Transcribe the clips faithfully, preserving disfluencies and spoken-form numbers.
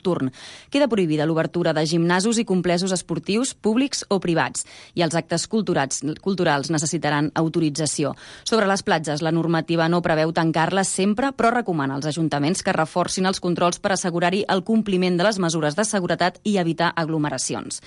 nocturn. Queda prohibida l'obertura de gimnasos i complexos esportius públics o privats, i els actes culturals, culturals necessitaran autorització. Sobre les platges, la normativa no preveu tancar-les sempre, però recomana als ajuntaments que reforcin els controls per assegurar-hi el compliment de les mesures de seguretat i evitar aglomeracions.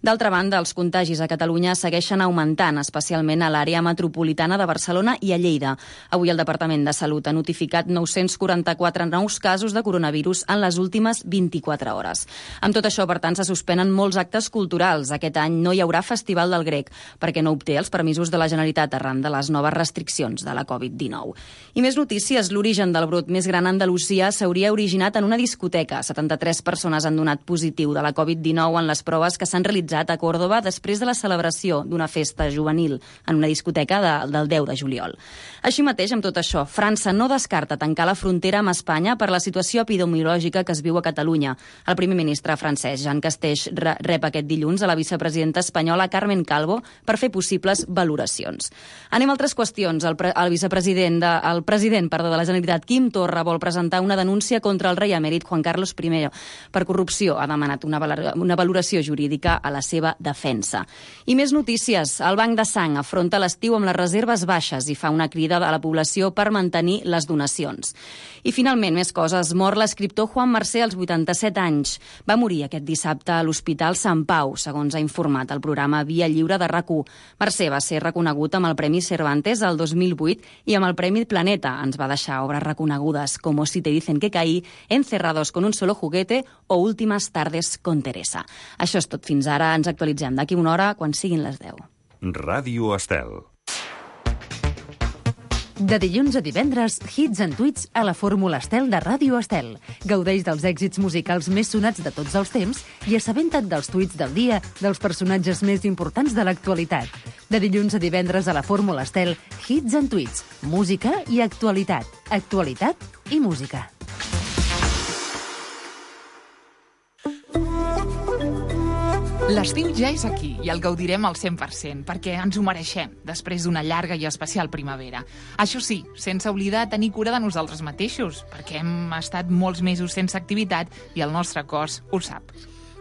D'altra banda, els contagis a Catalunya segueixen augmentant, especialment a l'àrea metropolitana de Barcelona i a Lleida. Avui el Departament de Salut ha notificat nou-cents quaranta-quatre nous casos de coronavirus en les últimes vint-i-quatre hores. Amb tot això, per tant, se suspenen molts actes culturals. Aquest any no hi haurà Festival del Grec, perquè no obté els permisos de la Generalitat arran de les noves restriccions de la covid dinou. I més notícies. L'origen del brot més gran a Andalusia s'hauria originat en una discoteca. setanta-tres persones han donat positiu de la covid dinou en les proves que s'han realitzat a Còrdova després de la celebració d'una festa juvenil en una discoteca de, del deu de juliol. Així mateix, amb tot això, França no descarta tancar la frontera amb Espanya per la situació epidemiològica que es viu a Catalunya. El primer ministre francès, Jean Castex, rep aquest dilluns a la vicepresidenta espanyola Carmen Calvo per fer possibles valoracions. Anem a altres qüestions. El, pre el vicepresident, de, el president perdó, de la Generalitat, Quim Torra, vol presentar una denúncia contra el rei emèrit Juan Carlos I per corrupció. Ha demanat una, una valoració jurídica a la seva defensa. I més notícies. El Banc de Sang afronta l'estiu amb les reserves baixes i fa una crida a la població per mantenir les donacions. I finalment, més coses. Mor l'escriptor Juan Marsé als vuitanta-set anys. Va morir aquest dissabte a l'Hospital Sant Pau, segons ha informat el programa Via Lliure de RAC u. Marsé va ser reconegut amb el Premi Cervantes el dos mil vuit i amb el Premi Planeta. Ens va deixar obres reconegudes com Si te dicen que caí, Encerrados con un solo juguete o Últimas tardes con Teresa. Això és tot fins ara. Ens actualitzem d'aquí una hora quan siguin les deu. Ràdio Estel. De dilluns a divendres, hits and tweets a la Fórmula Estel de Ràdio Estel. Gaudeix dels èxits musicals més sonats de tots els temps i assabenta't dels tuits del dia dels personatges més importants de l'actualitat. De dilluns a divendres a la Fórmula Estel, hits and tweets, música i actualitat. Actualitat i música. L'estiu ja és aquí i el gaudirem al cent per cent, perquè ens ho mereixem, després d'una llarga i especial primavera. Això sí, sense oblidar tenir cura de nosaltres mateixos, perquè hem estat molts mesos sense activitat i el nostre cos ho sap.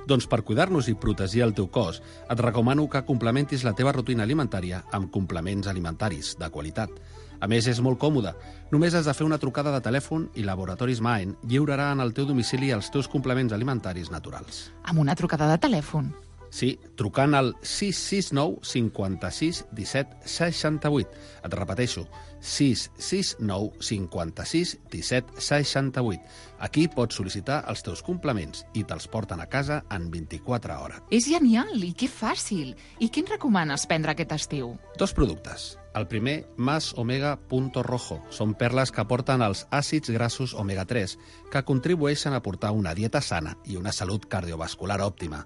Doncs per cuidar-nos i protegir el teu cos, et recomano que complementis la teva rutina alimentària amb complements alimentaris de qualitat. A més, és molt còmode. Només has de fer una trucada de telèfon i Laboratoris Maen lliurarà en el teu domicili els teus complements alimentaris naturals. Amb una trucada de telèfon? Sí, trucant al sis sis nou cinquanta-sis disset seixanta-vuit. Et repeteixo, sis sis nou cinquanta-sis disset seixanta-vuit. Aquí pots sol·licitar els teus complements i te'ls porten a casa en vint-i-quatre hores. És genial i que fàcil. I què ens recomanes prendre aquest estiu? Dos productes. El primer, Más Omega Punto Rojo. Són perles que aporten els àcids grassos omega tres, que contribueixen a portar una dieta sana i una salut cardiovascular òptima.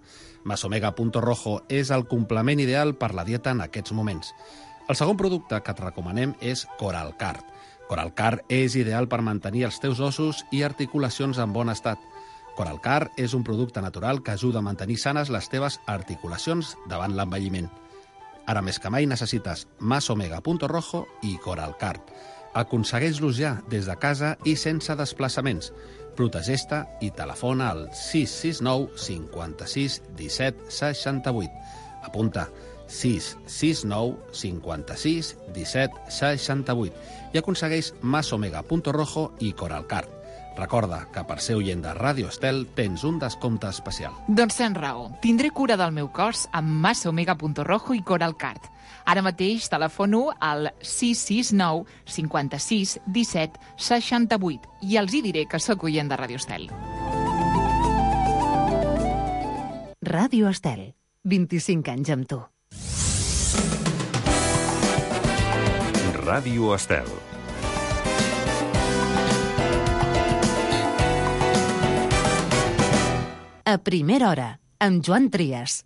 Más Omega Punto Rojo és el complement ideal per la dieta en aquests moments. El segon producte que et recomanem és Coralcard. Coralcard és ideal per mantenir els teus ossos i articulacions en bon estat. Coralcard és un producte natural que ajuda a mantenir sanes les teves articulacions davant l'envelliment. Ara més que mai necessites Más Omega Punto Rojo i Coralcard. Aconsegueix-los ja des de casa i sense desplaçaments. Protegeix-te i telefona al sis sis nou cinquanta-sis disset seixanta-vuit. Apunta sis sis nou cinquanta-sis disset seixanta-vuit i aconsegueix Más Omega Punto Rojo i Coralcard. Recorda que per ser oient de Ràdio Estel tens un descompte especial. Doncs tens raó. Tindré cura del meu cos amb Más Omega Punto Rojo i Coralcard. Ara mateix telefono al sis sis nou cinquanta-sis disset seixanta-vuit i els hi diré que sóc oient de Ràdio Estel. Ràdio Estel. vint-i-cinc anys amb tu. Ràdio Estel. A primera hora, amb Joan Trias.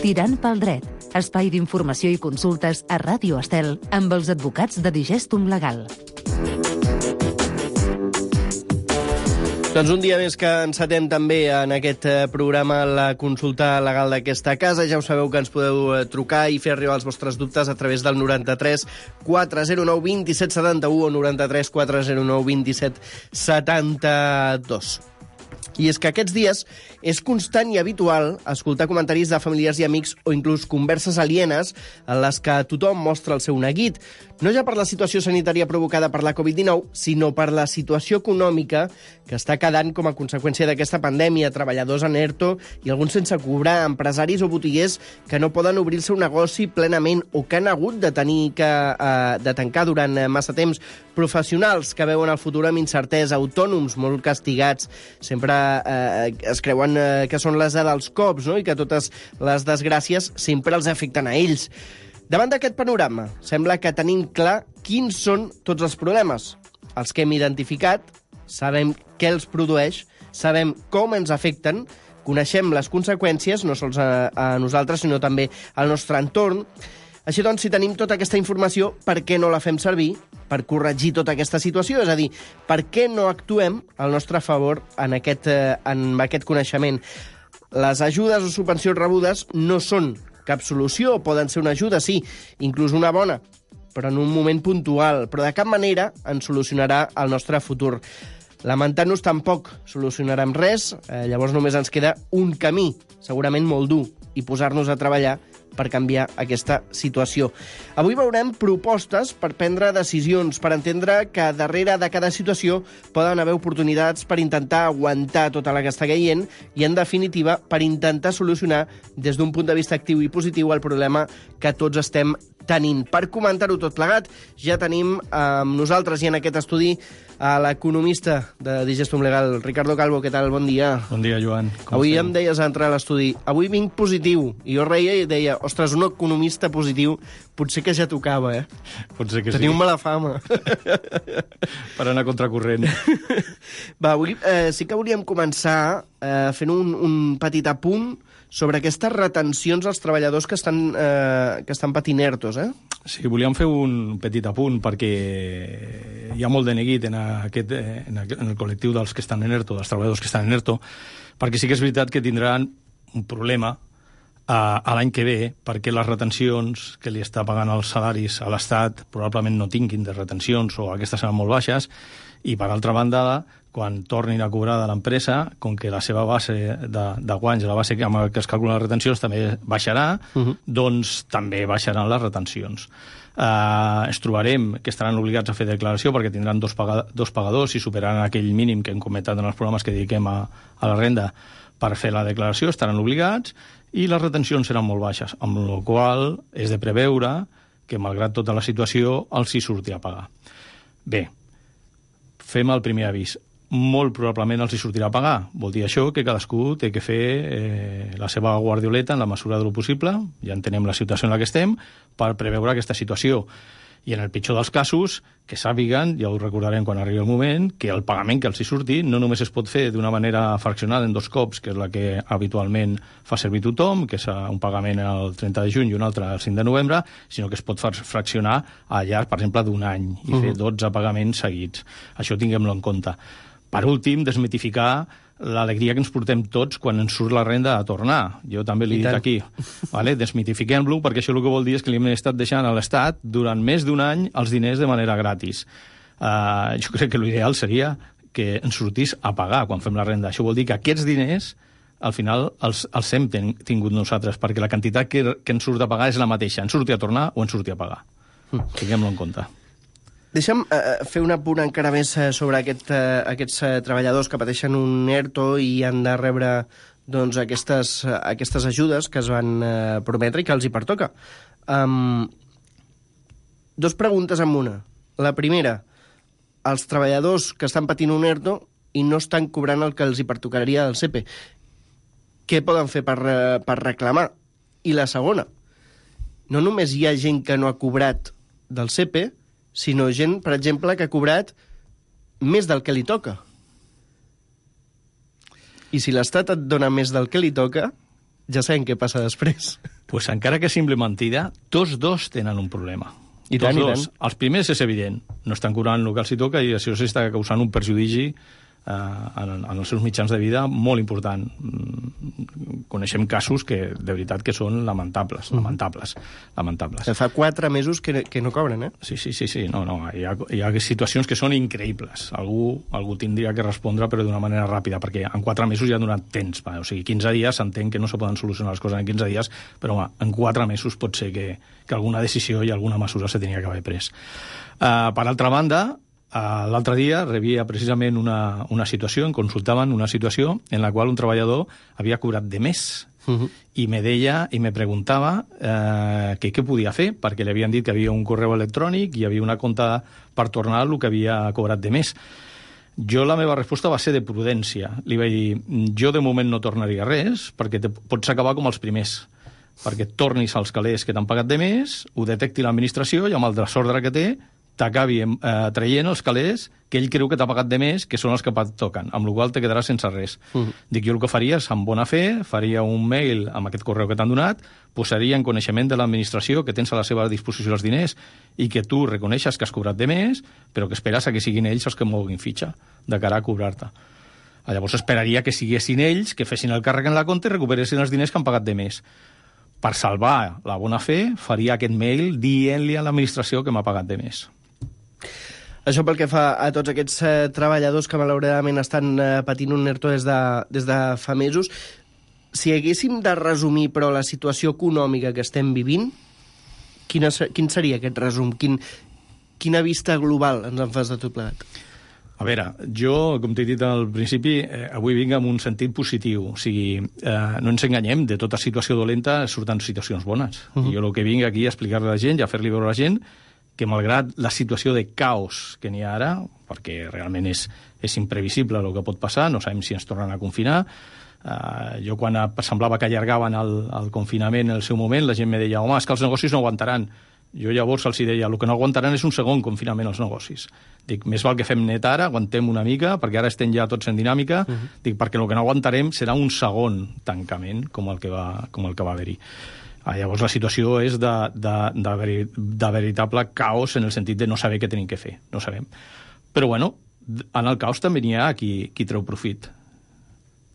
Tirant pel dret, espai d'informació i consultes a Ràdio Estel amb els advocats de Digestum Legal. Doncs un dia més que encetem també en aquest programa la consulta legal d'aquesta casa. Ja ho sabeu que ens podeu trucar i fer arribar els vostres dubtes a través del noranta-tres quatre zero nou dos set set u o noranta-tres quatre zero nou dos set setanta dos. I és que aquests dies és constant i habitual escoltar comentaris de familiars i amics o inclús converses alienes en les que tothom mostra el seu neguit, no ja per la situació sanitària provocada per la covid dinou, sinó per la situació econòmica que està quedant com a conseqüència d'aquesta pandèmia, treballadors en ERTO i alguns sense cobrar, empresaris o botiguers que no poden obrir el seu negoci plenament o que han hagut de tenir que, eh, de tancar durant massa temps, professionals que veuen el futur amb incertesa, autònoms molt castigats, sempre eh, es creuen eh, que són les dels cops, no? I que totes les desgràcies sempre els afecten a ells. Davant d'aquest panorama, sembla que tenim clar quins són tots els problemes. Els que hem identificat, sabem què els produeix, sabem com ens afecten, coneixem les conseqüències, no sols a, a nosaltres, sinó també al nostre entorn. Així doncs, si tenim tota aquesta informació, per què no la fem servir per corregir tota aquesta situació? És a dir, per què no actuem al nostre favor en aquest, eh, en aquest coneixement? Les ajudes o subvencions rebudes no són cap solució, poden ser una ajuda, sí, inclús una bona, però en un moment puntual, però de cap manera ens solucionarà el nostre futur. Lamentar-nos tampoc solucionarem res, eh, llavors només ens queda un camí, segurament molt dur, i posar-nos a treballar per canviar aquesta situació. Avui veurem propostes per prendre decisions, per entendre que darrere de cada situació poden haver oportunitats per intentar aguantar tota la que està caient i, en definitiva, per intentar solucionar des d'un punt de vista actiu i positiu el problema que tots estem tenint. Per comentar-ho tot plegat, ja tenim amb nosaltres i en aquest estudi a l'economista de Digestum Legal, Ricardo Calvo. Què tal? Bon dia. Bon dia, Joan. Com avui estem? Em deies a entrar a l'estudi, avui vinc positiu. I jo reia i deia, ostres, un economista positiu potser que ja tocava, eh? Potser que Teniu sí. mala fama. Per anar contracorrent. Va, avui eh, sí que volíem començar eh, fent un, un petit apunt sobre aquestes retencions als treballadors que estan, eh, que estan patint ERTOs, eh? Sí, volíem fer un petit apunt perquè hi ha molt de neguit en, aquest, en, aquest, en el col·lectiu dels que estan en ERTO, dels treballadors que estan en ERTO, perquè sí que és veritat que tindran un problema a, a l'any que ve, perquè les retencions que li està pagant els salaris a l'Estat probablement no tinguin de retencions o aquestes seran molt baixes, i per altra banda, quan tornin a cobrar de l'empresa, com que la seva base de, de guanys, la base amb què es calculen les retencions també baixarà, uh-huh. doncs també baixaran les retencions. Uh, ens trobarem que estaran obligats a fer declaració perquè tindran dos, paga, dos pagadors i superaran aquell mínim que hem comentat en els programes que dediquem a, a la renda per fer la declaració, estaran obligats, i les retencions seran molt baixes, amb la qual és de preveure que, malgrat tota la situació, els hi surti a pagar. Bé, fem el primer avís. Molt probablement els hi sortirà a pagar. Vol dir això que cadascú té que fer eh, la seva guardioleta en la mesura del possible, ja entenem la situació en la que estem, per preveure aquesta situació. I en el pitjor dels casos, que sàpiguen, ja ho recordarem quan arribi el moment, que el pagament que els hi surti no només es pot fer d'una manera fraccionada en dos cops, que és la que habitualment fa servir tothom, que és un pagament el trenta de juny i un altre el cinc de novembre, sinó que es pot fraccionar a llarg, per exemple, d'un any i uh-huh. fer dotze pagaments seguits. Això tinguem-lo en compte. Per últim, desmitificar l'alegria que ens portem tots quan ens surt la renda a tornar. Jo també l'he dit aquí. Vale? Desmitifiquem-lo, perquè això el que vol dir és que li hem estat deixant a l'Estat durant més d'un any els diners de manera gratis. Uh, jo crec que l'ideal seria que ens sortís a pagar quan fem la renda. Això vol dir que aquests diners al final els, els hem ten, tingut nosaltres, perquè la quantitat que, que ens surt a pagar és la mateixa. Ens surti a tornar o ens surti a pagar. Mm. Tinguem-lo en compte. Deixa'm eh, fer un apunt encara més eh, sobre aquest, eh, aquests eh, treballadors que pateixen un ERTO i han de rebre doncs, aquestes, eh, aquestes ajudes que es van eh, prometre i que els hi pertoca. Um, dos preguntes en una. La primera, els treballadors que estan patint un ERTO i no estan cobrant el que els hi pertocaria del C E P E, què poden fer per, eh, per reclamar? I la segona, no només hi ha gent que no ha cobrat del C E P E, sinó gent, per exemple, que ha cobrat més del que li toca. I si l'Estat et dona més del que li toca, ja sabem què passa després. Pues encara que sembli mentida, tots dos tenen un problema. I tots tant, dos. I tant. Els primers és evident, no estan cobrant el que els hi toca i això s'està causant un perjudici en, en els seus mitjans de vida molt important. Coneixem casos que, de veritat, que són lamentables, lamentables, lamentables. Fa quatre mesos que, que no cobren, eh? Sí, sí, sí, sí. No, no. Hi ha, hi ha situacions que són increïbles. Algú, algú tindria que respondre, però d'una manera ràpida, perquè en quatre mesos ja ha donat temps. Va? O sigui, quinze dies, s'entén que no se poden solucionar les coses en quinze dies, però home, en quatre mesos pot ser que, que alguna decisió i alguna mesura se tenia que haver pres. Uh, per altra banda, Uh, l'altre dia rebia precisament una, una situació, em consultaven una situació en la qual un treballador havia cobrat de més uh-huh. i me deia i me preguntava uh, que què podia fer, perquè li havien dit que havia un correu electrònic i havia una compta per tornar el que havia cobrat de més. Jo la meva resposta va ser de prudència. Li vaig dir, jo de moment no tornaria res, perquè te, pots acabar com els primers, perquè tornis als calés que t'han pagat de més, ho detecti l'administració i amb el desordre que té t'acabi eh, traient els calés que ell creu que t'ha pagat de més, que són els que et toquen, amb la qual te quedaràs sense res. Uh-huh. Dic, jo el que faria és, amb bona fe, faria un mail amb aquest correu que t'han donat, posaria en coneixement de l'administració que tens a la seva disposició els diners i que tu reconeixes que has cobrat de més, però que esperes a que siguin ells els que moguin fitxa de cara a cobrar-te. Llavors esperaria que siguessin ells, que fessin el càrrec en la compte i recuperessin els diners que han pagat de més. Per salvar la bona fe, faria aquest mail dient-li a l'administració que m'ha pagat de més. Això pel que fa a tots aquests eh, treballadors que malauradament estan eh, patint un ERTO des de, des de fa mesos. Si haguéssim de resumir, però, la situació econòmica que estem vivint, quina, quin seria aquest resum? Quin, quina vista global ens en fas de tot plegat? A veure, jo, com t'he dit al principi, eh, avui vinc amb un sentit positiu. O sigui, eh, no ens enganyem, de tota situació dolenta surten situacions bones. Uh-huh. I jo el que vinc aquí a explicar-li a la gent i a fer-li veure a la gent que malgrat la situació de caos que n'hi ha ara, perquè realment és, és imprevisible el que pot passar, no sabem si ens tornen a confinar, uh, jo quan semblava que allargaven el, el confinament en el seu moment, la gent me deia, home, és que els negocis no aguantaran. Jo llavors els deia, el que no aguantaran és un segon confinament als negocis. Dic, més val que fem net ara, aguantem una mica, perquè ara estem ja tots en dinàmica, uh-huh. Dic, perquè el que no aguantarem serà un segon tancament, com el que va, com el que va haver-hi. Ah, llavors la situació és de, de, de, veri, de veritable caos en el sentit de no saber què tenim que fer, no sabem. Però bueno, en el caos també n'hi ha qui, qui treu profit.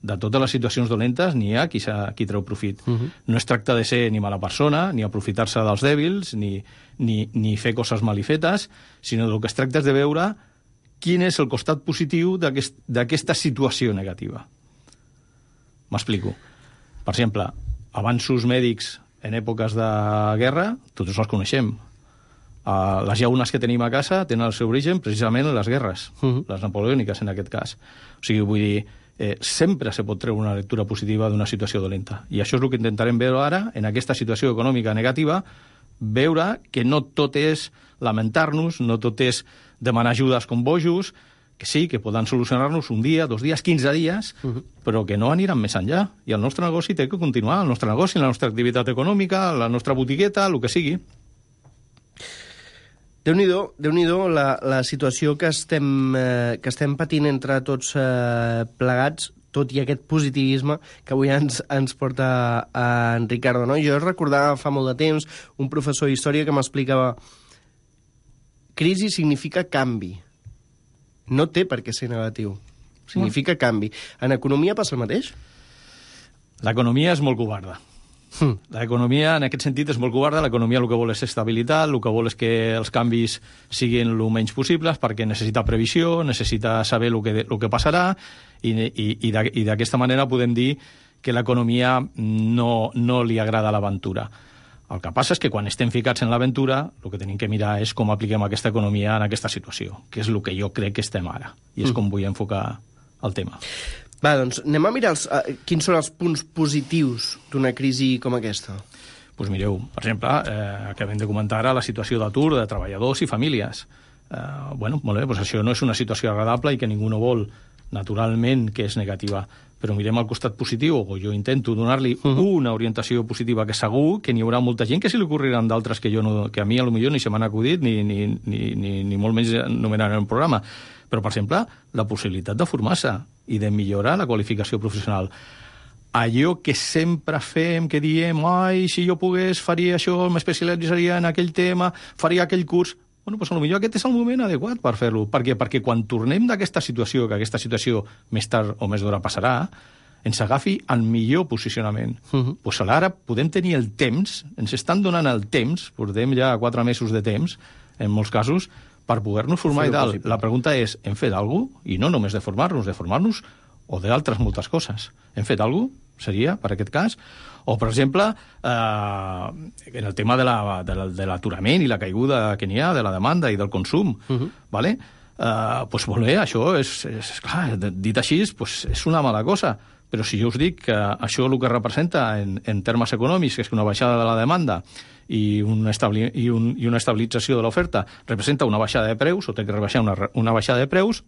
De totes les situacions dolentes n'hi ha qui, qui treu profit. Uh-huh. No es tracta de ser ni mala persona, ni aprofitar-se dels dèbils, ni, ni, ni fer coses malifetes, sinó del que es tracta és de veure quin és el costat positiu d'aquest, d'aquesta situació negativa. M'explico. Per exemple, avanços mèdics en èpoques de guerra, tots els coneixem. Uh, les llaunes que tenim a casa tenen el seu origen precisament en les guerres, uh-huh. Les napoleòniques en aquest cas. O sigui, vull dir, eh, sempre se pot treure una lectura positiva d'una situació dolenta. I això és el que intentarem veure ara, en aquesta situació econòmica negativa, veure que no tot és lamentar-nos, no tot és demanar ajudes com bojos, que sí, que poden solucionar-nos un dia, dos dies, quinze dies, uh-huh. Però que no aniran més enllà. I el nostre negoci té que continuar, el nostre negoci, la nostra activitat econòmica, la nostra botigueta, el que sigui. Déu-n'hi-do, Déu-n'hi-do la, la situació que estem, eh, que estem patint entre tots eh, plegats, tot i aquest positivisme que avui ens, ens porta a en Ricardo. No? Jo recordava fa molt de temps un professor d'història que m'explicava crisi significa canvi. No té per què ser negatiu. Significa canvi. En economia passa el mateix? L'economia és molt covarda. Mm. L'economia, en aquest sentit, és molt covarda. L'economia el que vol és estabilitat, el que vol és que els canvis siguin el menys possibles, perquè necessita previsió, necessita saber el que, el que passarà, i, i, i d'aquesta manera podem dir que l'economia no, no li agrada l'aventura. El que passa és que quan estem ficats en l'aventura, el que tenim que mirar és com apliquem aquesta economia en aquesta situació, que és el que jo crec que estem ara, i és mm. com vull enfocar el tema. Va, doncs anem a mirar els, uh, quins són els punts positius d'una crisi com aquesta. Doncs pues mireu, per exemple, eh, acabem de comentar ara la situació d'atur de treballadors i famílies. Eh, bueno, molt bé, doncs això no és una situació agradable i que ningú no vol, naturalment, que és negativa. Però mirem el costat positiu, o jo intento donar-li uh-huh. una orientació positiva, que segur que n'hi haurà molta gent que se li ocorreran d'altres que, jo no, que a mi potser ni se m'han acudit ni, ni, ni, ni, ni molt menys nomenar en un programa. Però, per exemple, la possibilitat de formar-se i de millorar la qualificació professional. Allò que sempre fem, que diem, ai, si jo pogués, faria això, m'especialitzaria en aquell tema, faria aquell curs. bueno, doncs potser aquest és el moment adequat per fer-lo. Per què? Perquè quan tornem d'aquesta situació, que aquesta situació més tard o més d'hora passarà, ens agafi el millor posicionament. Uh-huh. Pues ara podem tenir el temps, ens estan donant el temps, portem ja quatre mesos de temps, en molts casos, per poder-nos formar i tal. La pregunta és, hem fet alguna cosa? I no només de formar-nos, de formar-nos o d'altres moltes coses. Hem fet alguna cosa? Seria, per aquest cas? O, per exemple, eh, en el tema de la, de, la, de l'aturament i la caiguda que n'hi ha, de la demanda i del consum, uh-huh. vale? eh, pues molt bé, això és, és clar, dit així, pues és una mala cosa. Però si jo us dic que això el que representa en, en termes econòmics, que és que una baixada de la demanda i, un establi, i, un, i una estabilització de l'oferta representa una baixada de preus, o té que rebaixar una, una baixada de preus,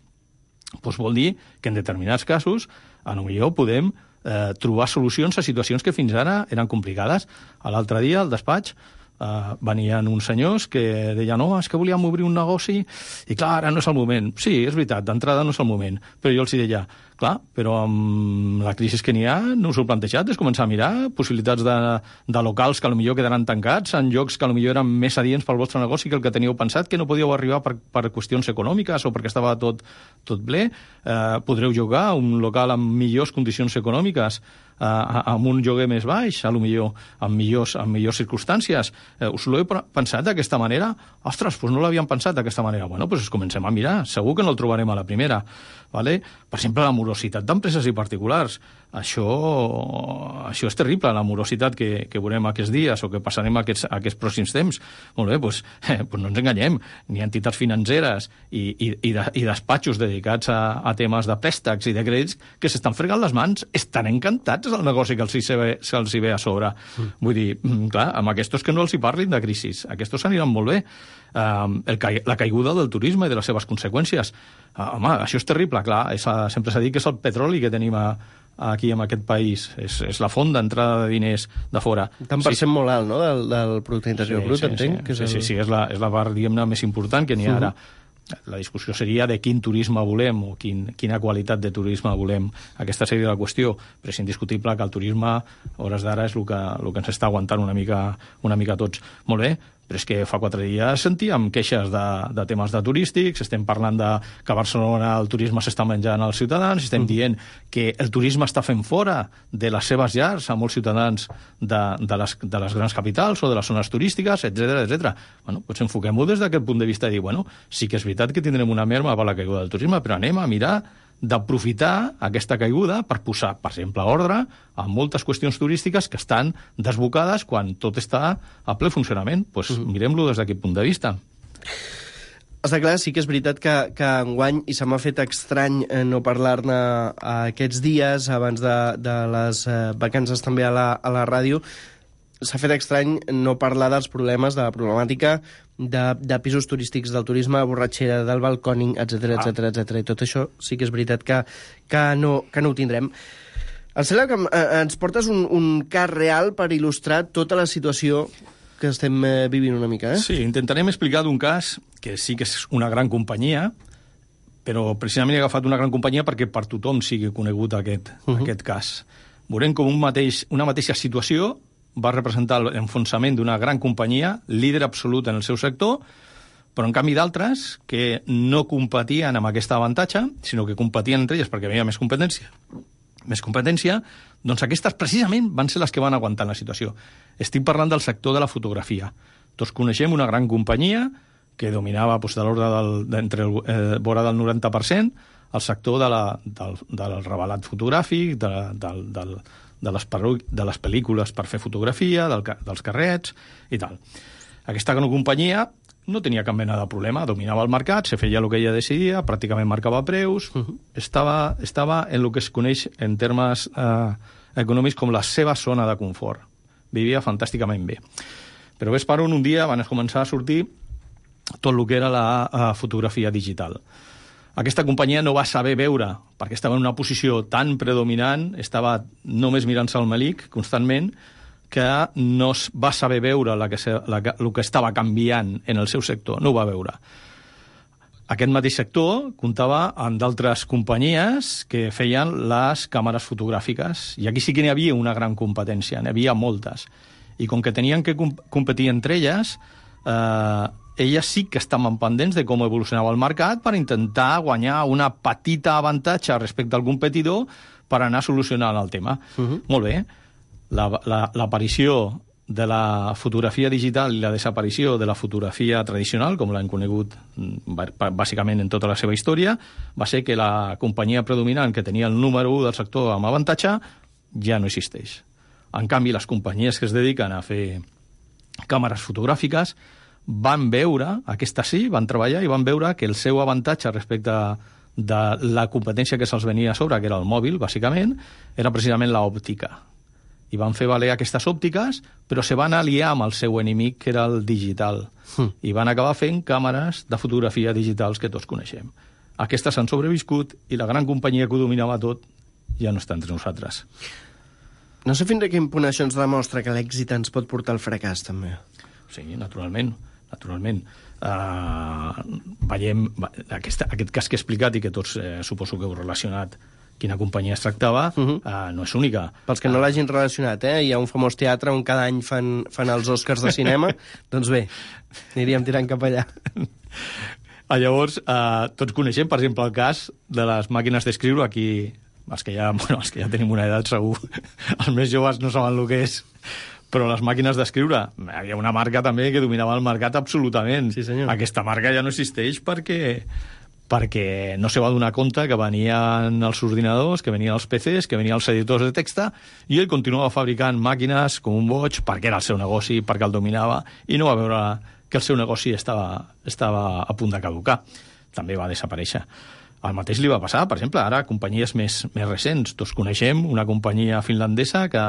doncs vol dir que en determinats casos a lo millor podem eh, trobar solucions a situacions que fins ara eren complicades. A l'altre dia, al despatx, Uh, venien uns senyors que deien no, és que volíem obrir un negoci i clar, ara no és el moment. Sí, és veritat, d'entrada no és el moment. Però jo els deia, clar, però amb la crisi que n'hi ha no us ho heu plantejat, és començar a mirar possibilitats de, de locals que potser quedaran tancats en llocs que potser eren més adients pel vostre negoci que el que teníeu pensat, que no podíeu arribar per, per qüestions econòmiques o perquè estava tot, tot ple. Uh, podreu jugar a un local amb millors condicions econòmiques, Uh, amb un lloguer més baix, a lo millor, amb millors, amb millors circumstàncies. Uh, us l'heu pensat d'aquesta manera? Ostres, doncs no l'havíem pensat d'aquesta manera. Bueno, doncs comencem a mirar. Segur que no el trobarem a la primera. Vale? Per exemple, la morositat d'empreses i particulars. Això, això és terrible, la morositat que, que veurem aquests dies o que passarem aquests, aquests pròxims temps. Molt bé, doncs, eh, doncs no ens enganyem. N'hi ha entitats financeres i, i, i, de, i despatxos dedicats a, a temes de préstecs i de crèdits que s'estan fregant les mans. Estan encantats del negoci que els hi ve, se'ls hi ve a sobre. Mm. Vull dir, clar, amb aquests que no els hi parlin de crisis. Aquests aniran molt bé. Uh, el, la caiguda del turisme i de les seves conseqüències. Uh, home, això és terrible, clar. És, sempre s'ha dit que és el petroli que tenim a, aquí en aquest país. És, és la font d'entrada de diners de fora. Tant per sí. cent molt alt, no?, del, del producte interior sí, brut, sí, entenc? Sí, que és sí, el... sí, sí, és la, és la part, diguem-ne, més important que n'hi ha ara. Uh-huh. La discussió seria de quin turisme volem o quin, quina qualitat de turisme volem. Aquesta seria la qüestió, però és indiscutible que el turisme, a hores d'ara, és el que, el que ens està aguantant una mica, una mica tots. Molt bé, però és que fa quatre dies sentíem queixes de, de temes de turístics, estem parlant de que a Barcelona el turisme s'està menjant als ciutadans, estem dient que el turisme està fent fora de les seves llars a molts ciutadans de, de, les, de les grans capitals o de les zones turístiques, etcètera, etcètera. Bueno, doncs enfoquem-ho des d'aquest punt de vista i dir, bueno, sí que és veritat que tindrem una merma per la caiguda del turisme, però anem a mirar d'aprofitar aquesta caiguda per posar, per exemple, ordre a moltes qüestions turístiques que estan desbocades quan tot està a ple funcionament. Doncs pues mirem-lo des d'aquest punt de vista. Està clar, sí que és veritat que, que enguany, i se m'ha fet estrany eh, no parlar-ne aquests dies, abans de, de les eh, vacances també a la, a la ràdio, s'ha fet estrany no parlar dels problemes, de la problemàtica de, de pisos turístics, del turisme, borratxera, del balcòning, etcètera, etcètera, etcètera. I tot això sí que és veritat que, que, no, que no ho tindrem. Em sembla que eh, ens portes un, un cas real per il·lustrar tota la situació que estem eh, vivint una mica, eh? Sí, intentarem explicar d'un cas que sí que és una gran companyia, però precisament he agafat una gran companyia perquè per tothom sigui conegut aquest, uh-huh. aquest cas. Veurem com un mateix, una mateixa situació va representar l'enfonsament d'una gran companyia, líder absolut en el seu sector, però en canvi d'altres que no competien amb aquest avantatge, sinó que competien entre elles perquè hi havia més competència. Més competència, doncs aquestes precisament van ser les que van aguantar la situació. Estic parlant del sector de la fotografia. Tots coneixem una gran companyia que dominava doncs, de l'ordre del, d'entre el, eh, vora del noranta per cent el sector de la, del, del revelat fotogràfic, de, del, del, de, les de les pel·lícules per fer fotografia, del, dels carrets i tal. Aquesta gran companyia no tenia cap mena de problema, dominava el mercat, se feia el que ella decidia, pràcticament marcava preus, uh-huh. estava, estava en el que es coneix en termes eh, econòmics com la seva zona de confort. Vivia fantàsticament bé. Però ves per on un dia van començar a sortir tot el que era la uh, fotografia digital. Aquesta companyia no va saber veure, perquè estava en una posició tan predominant, estava només mirant-se al melic constantment, que no va saber veure la que, la, el que estava canviant en el seu sector, no ho va veure. Aquest mateix sector comptava amb d'altres companyies que feien les càmeres fotogràfiques, i aquí sí que n'hi havia una gran competència, n'hi havia moltes. I com que tenien que competir entre elles, eh, elles sí que estaven pendents de com evolucionava el mercat per intentar guanyar una petita avantatge respecte al competidor per anar solucionant el tema. Uh-huh. Molt bé. L'aparició la, la, de la fotografia digital i la desaparició de la fotografia tradicional, com l'hem conegut bàsicament en tota la seva història, va ser que la companyia predominant que tenia el número u del sector amb avantatge ja no existeix. En canvi, les companyies que es dediquen a fer càmeres fotogràfiques van veure, aquestes sí, van treballar i van veure que el seu avantatge respecte de la competència que se'ls venia a sobre, que era el mòbil, bàsicament, era precisament l'òptica. I van fer valer aquestes òptiques, però se van aliar amb el seu enemic, que era el digital. Mm. I van acabar fent càmeres de fotografia digitals que tots coneixem. Aquestes han sobreviscut i la gran companyia que ho dominava tot ja no està entre nosaltres. No sé fins a quin punt això ens demostra que l'èxit ens pot portar al fracàs, també. Sí, naturalment. naturalment. Uh, veiem aquest, aquest cas que he explicat i que tots eh, suposo que heu relacionat quina companyia es tractava, uh-huh. uh, no és única. Pels que no l'hagin relacionat, eh? Hi ha un famós teatre on cada any fan, fan els Oscars de cinema, doncs bé, aniríem tirant cap allà. Ah, llavors, uh, tots coneixem, per exemple, el cas de les màquines d'escriure. Aquí, els que ja, bueno, els que ja tenim una edat, segur, els més joves no saben el que és, però les màquines d'escriure, hi havia una marca també que dominava el mercat absolutament. Sí, senyor. Aquesta marca ja no existeix perquè... perquè no se va donar compte que venien els ordinadors, que venien els P Cs, que venien els editors de text, i ell continuava fabricant màquines com un boig perquè era el seu negoci, perquè el dominava, i no va veure que el seu negoci estava, estava a punt de caducar. També va desaparèixer. El mateix li va passar, per exemple, ara companyies més, més recents. Tots coneixem una companyia finlandesa que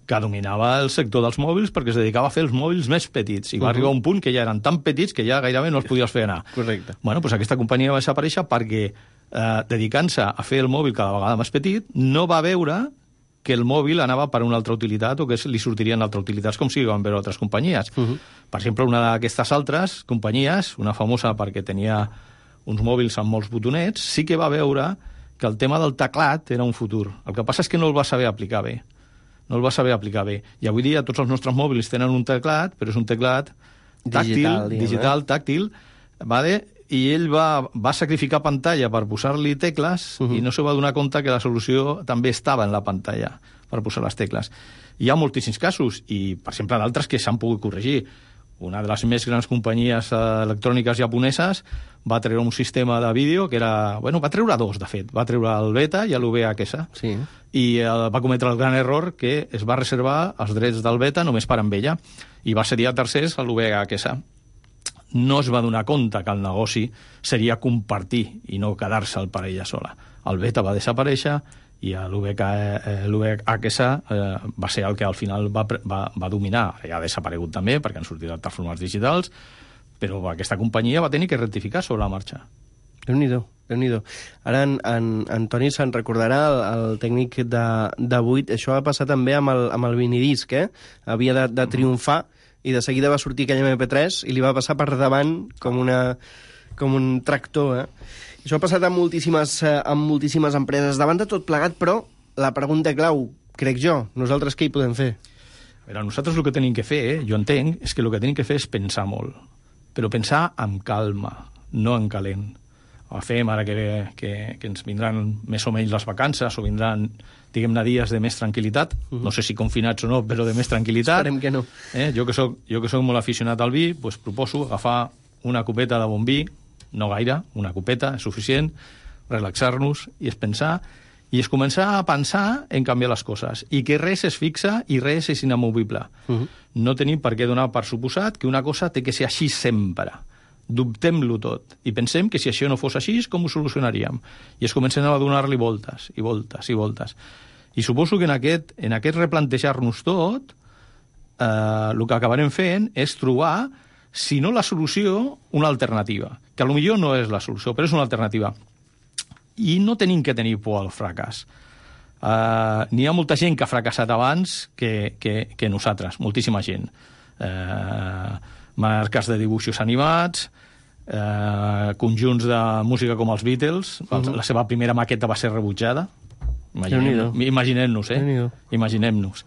que dominava el sector dels mòbils perquè es dedicava a fer els mòbils més petits i va uh-huh. arribar a un punt que ja eren tan petits que ja gairebé no els podies fer anar. Correcte. Bueno, doncs aquesta companyia va desaparèixer perquè eh, dedicant-se a fer el mòbil cada vegada més petit no va veure que el mòbil anava per una altra utilitat o que li sortirien altres utilitats com si van veure altres companyies. Uh-huh. Per exemple, una d'aquestes altres companyies, una famosa perquè tenia uns mòbils amb molts botonets, sí que va veure que el tema del teclat era un futur. El que passa és que no el va saber aplicar bé. no el va saber aplicar bé. I avui dia tots els nostres mòbils tenen un teclat, però és un teclat tàctil, digital, digital eh? tàctil, vale? I ell va, va sacrificar pantalla per posar-li tecles uh-huh. i no se va donar compte que la solució també estava en la pantalla per posar les tecles. Hi ha moltíssims casos, i per exemple d'altres que s'han pogut corregir. Una de les més grans companyies electròniques japoneses va treure un sistema de vídeo que era... Bueno, va treure dos, de fet. Va treure el beta i l'U V H S. Sí. I eh, va cometre el gran error que es va reservar els drets del beta només per amb ella. I va cedir a tercers a l'U V H S. No es va donar compte que el negoci seria compartir i no quedar-se'l per ella sola. El beta va desaparèixer i l'U V H S eh, va ser el que al final va, va, va dominar. Ja ha desaparegut també, perquè han sortit altres formats digitals, però aquesta companyia va tenir que rectificar sobre la marxa. Déu-n'hi-do, Déu-n'hi-do. Ara en, en, en Toni se'n recordarà, el, el tècnic de, de vuit, això va passar també amb el, amb el vinidisc, eh? Havia de, de triomfar i de seguida va sortir aquell eme pe tres i li va passar per davant com, una, com un tractor, eh? Això ha passat amb moltíssimes, eh, amb moltíssimes empreses. Davant de tot plegat, però, la pregunta clau, crec jo, nosaltres què hi podem fer? A veure, nosaltres el que tenim que fer, eh, jo entenc, és que el que tenim que fer és pensar molt. Però pensar amb calma, no en calent. O fem ara que, que, que ens vindran més o menys les vacances o vindran, diguem-ne, dies de més tranquil·litat. Uh-huh. No sé si confinats o no, però de més tranquil·litat. Esperem que no. Eh, jo que soc, jo que soc molt aficionat al vi, doncs proposo agafar una copeta de bon vi, no gaire, una copeta, és suficient, relaxar-nos i es pensar, i es començar a pensar en canviar les coses, i que res es fixa i res és inamovible. Uh-huh. No tenim per què donar per suposat que una cosa té que ser així sempre. Dubtem-lo tot, i pensem que si això no fos així, com ho solucionaríem? I es comencen a donar-li voltes, i voltes, i voltes. I suposo que en aquest, en aquest replantejar-nos tot, eh, el que acabarem fent és trobar, si no la solució, una alternativa. Que potser no és la solució, però és una alternativa. I no tenim que tenir por al fracàs. Uh, n'hi ha molta gent que ha fracassat abans que, que, que nosaltres, moltíssima gent. Uh, marques de dibuixos animats, uh, conjunts de música com els Beatles, uh-huh. La seva primera maqueta va ser rebutjada. Imaginem, imaginem-nos, eh? Imaginem-nos.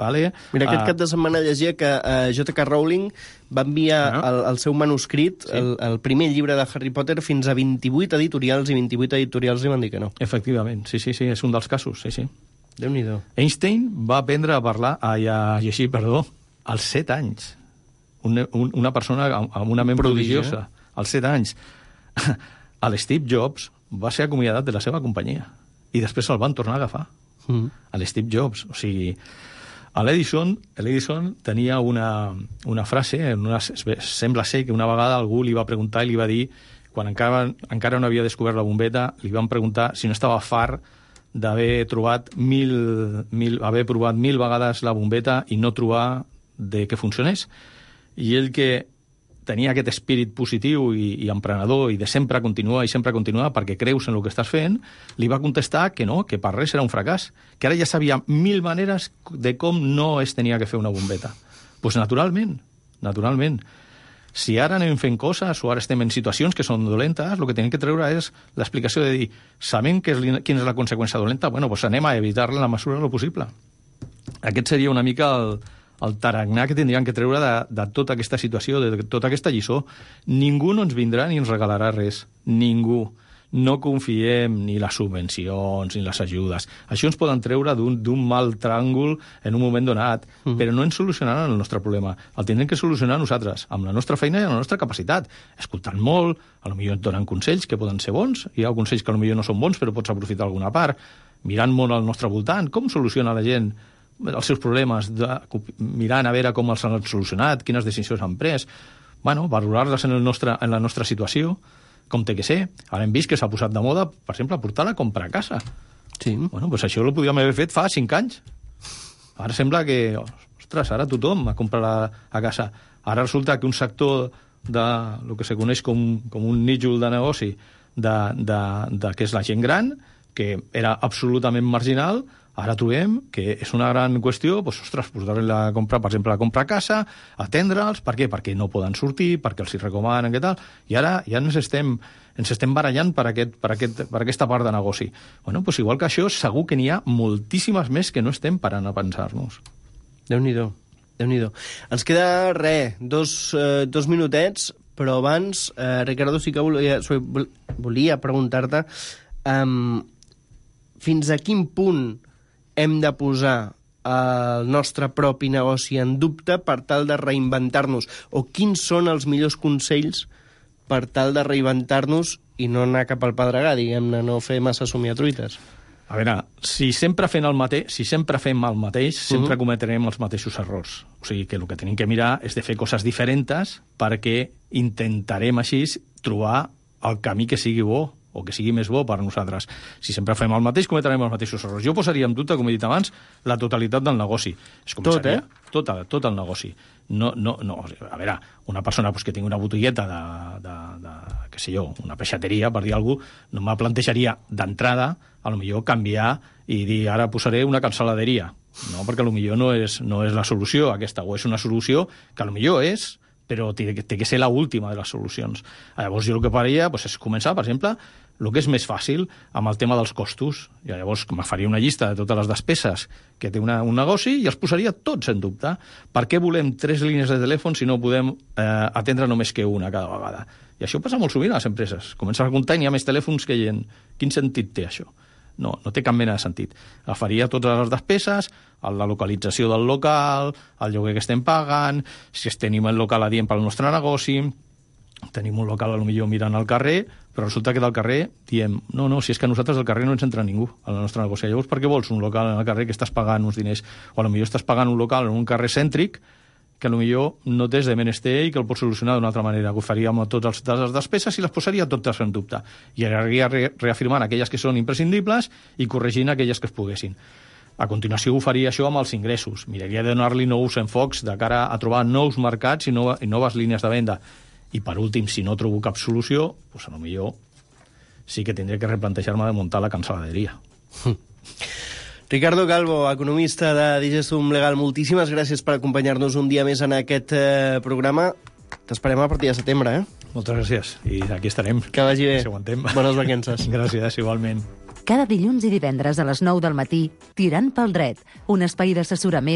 Vale? Mira, aquest uh, cap de setmana llegia que uh, J K Rowling va enviar Ah. el, el seu manuscrit, Sí. el, el primer llibre de Harry Potter, fins a vint-i-vuit editorials, i vint-i-vuit editorials li van dir que no. Efectivament, sí, sí, sí, és un dels casos, sí, sí. Déu-n'hi-do. Einstein va aprendre a parlar, a, a llegir, perdó, als set anys. Un, un, una persona amb amb una ment Prodigi, prodigiosa. Als set anys. El Steve Jobs va ser acomiadat de la seva companyia i després se'l van tornar a agafar. Mm. A l'Steve Jobs. O sigui, a l'Edison, l'Edison tenia una, una frase, en una, sembla ser que una vegada algú li va preguntar i li va dir, quan encara, encara no havia descobert la bombeta, li van preguntar si no estava fart d'haver trobat mil, mil, haver provat mil vegades la bombeta i no trobar de que funcionés. I ell, que tenia aquest espírit positiu i, i emprenedor i de sempre continuar i sempre continuar perquè creus en el que estàs fent, li va contestar que no, que per res era un fracàs, que ara ja sabia mil maneres de com no es tenia que fer una bombeta. Doncs pues naturalment, naturalment. Si ara anem fent coses o ara estem en situacions que són dolentes, el que tenim que treure és l'explicació de dir, sabent que és, quina és la conseqüència dolenta, bueno, pues anem a evitar-la en la mesura del possible. Aquest seria una mica el, el tarannà que tindríem que treure de, de tota aquesta situació, de tota aquesta lliçó. Ningú no ens vindrà ni ens regalarà res. Ningú. No confiem ni les subvencions ni les ajudes. Això ens poden treure d'un mal tràngol en un moment donat, mm. però no ens solucionaran el nostre problema. El tindrem que solucionar nosaltres, amb la nostra feina i amb la nostra capacitat. Escoltant molt, potser et donen consells que poden ser bons, hi ha consells que potser no són bons però pots aprofitar alguna part, mirant molt al nostre voltant, com soluciona la gent els seus problemes, de, mirant a veure com els han solucionat, quines decisions han pres, bueno, valorar-les en, el nostre, en la nostra situació, com té que ser. Ara hem vist que s'ha posat de moda, per exemple, portar la compra a casa. Sí. Bueno, doncs això ho podíem haver fet fa cinc anys. Ara sembla que, ostres, ara tothom a comprar a, a casa. Ara resulta que un sector de lo que se coneix com, com un nítjol de negoci de, de, de que és la gent gran, que era absolutament marginal, ara trobem que és una gran qüestió, doncs, ostres, posar-li la compra, per exemple, la compra a casa, atendre'ls, per què? Perquè no poden sortir, perquè els hi recomanen, què tal, i ara ja ens estem, ens estem barallant per, aquest, per, aquest, per aquesta part de negoci. Bueno, doncs igual que això, segur que n'hi ha moltíssimes més que no estem parant a pensar-nos. Déu-n'hi-do, Déu-n'hi-do. Ens queda, res, dos, eh, dos minutets, però abans, eh, Ricardo, sí que volia, volia preguntar-te um, fins a quin punt hem de posar el nostre propi negoci en dubte per tal de reinventar-nos, o quins són els millors consells per tal de reinventar-nos i no anar cap al pedregar, diguem-ne, no fer massa somiatruites. A veure, si sempre fem el mateix, si sempre fem el mateix, sempre uh-huh. cometrem els mateixos errors. O sigui que el que tenim que mirar és de fer coses diferents perquè intentarem així trobar el camí que sigui bo o que sigui més bo per a nosaltres. Si sempre fem el mateix, cometrem els mateixos errors. Jo posaria en dubte, com he dit abans, la totalitat del negoci. Es tot, eh? Tot, tot el negoci. No, no, no, a veure, una persona pues, que tingui una botigueta de, de, de, què sé jo, una peixateria, per dir alguna cosa, no me plantejaria d'entrada, a lo millor canviar i dir, ara posaré una cancel·laderia. No, perquè a lo millor no és, no és la solució aquesta, o és una solució que a lo millor és, però té, té que ser l'última de les solucions. Llavors jo el que faria pues, és començar, per exemple, el que és més fàcil amb el tema dels costos. I llavors me faria una llista de totes les despeses que té una, un negoci i els posaria tots en dubte. Per què volem tres línies de telèfon si no podem eh, atendre només que una cada vegada? I això passa molt sovint a les empreses. Comences a comptar i hi ha més telèfons que gent. Quin sentit té això? No, no té cap mena de sentit. Agafaria totes les despeses, la localització del local, el lloguer que estem pagant, si tenim el local adient pel nostre negoci, tenim un local potser mirant al carrer, però resulta que del carrer diem, no, no, si és que a nosaltres del carrer no ens entra ningú al nostre negoci. Llavors, per què vols un local al carrer que estàs pagant uns diners? O potser estàs pagant un local en un carrer cèntric que potser no tens de menester i que el pots solucionar d'una altra manera. Ho faríem a totes les despeses i les posaria totes en dubte. I aniria reafirmant aquelles que són imprescindibles i corregint aquelles que es poguessin. A continuació ho faria això amb els ingressos. Miraria de donar-li nous enfocs de cara a trobar nous mercats i, nova, i noves línies de venda. I per últim, si no trobo cap solució, doncs a lo millor sí que tindré que replantejar-me de muntar la cancel·laderia. Ricardo Calvo, economista de Digestum Legal, moltíssimes gràcies per acompanyar-nos un dia més en aquest eh, programa. T'esperem a partir de setembre, eh? Moltes gràcies. I aquí estarem. Que vagi bé. Si aguantem. Bones vacances. Gràcies, igualment. Cada dilluns i divendres a les nou del matí, Tirant pel dret, un espai d'assessorament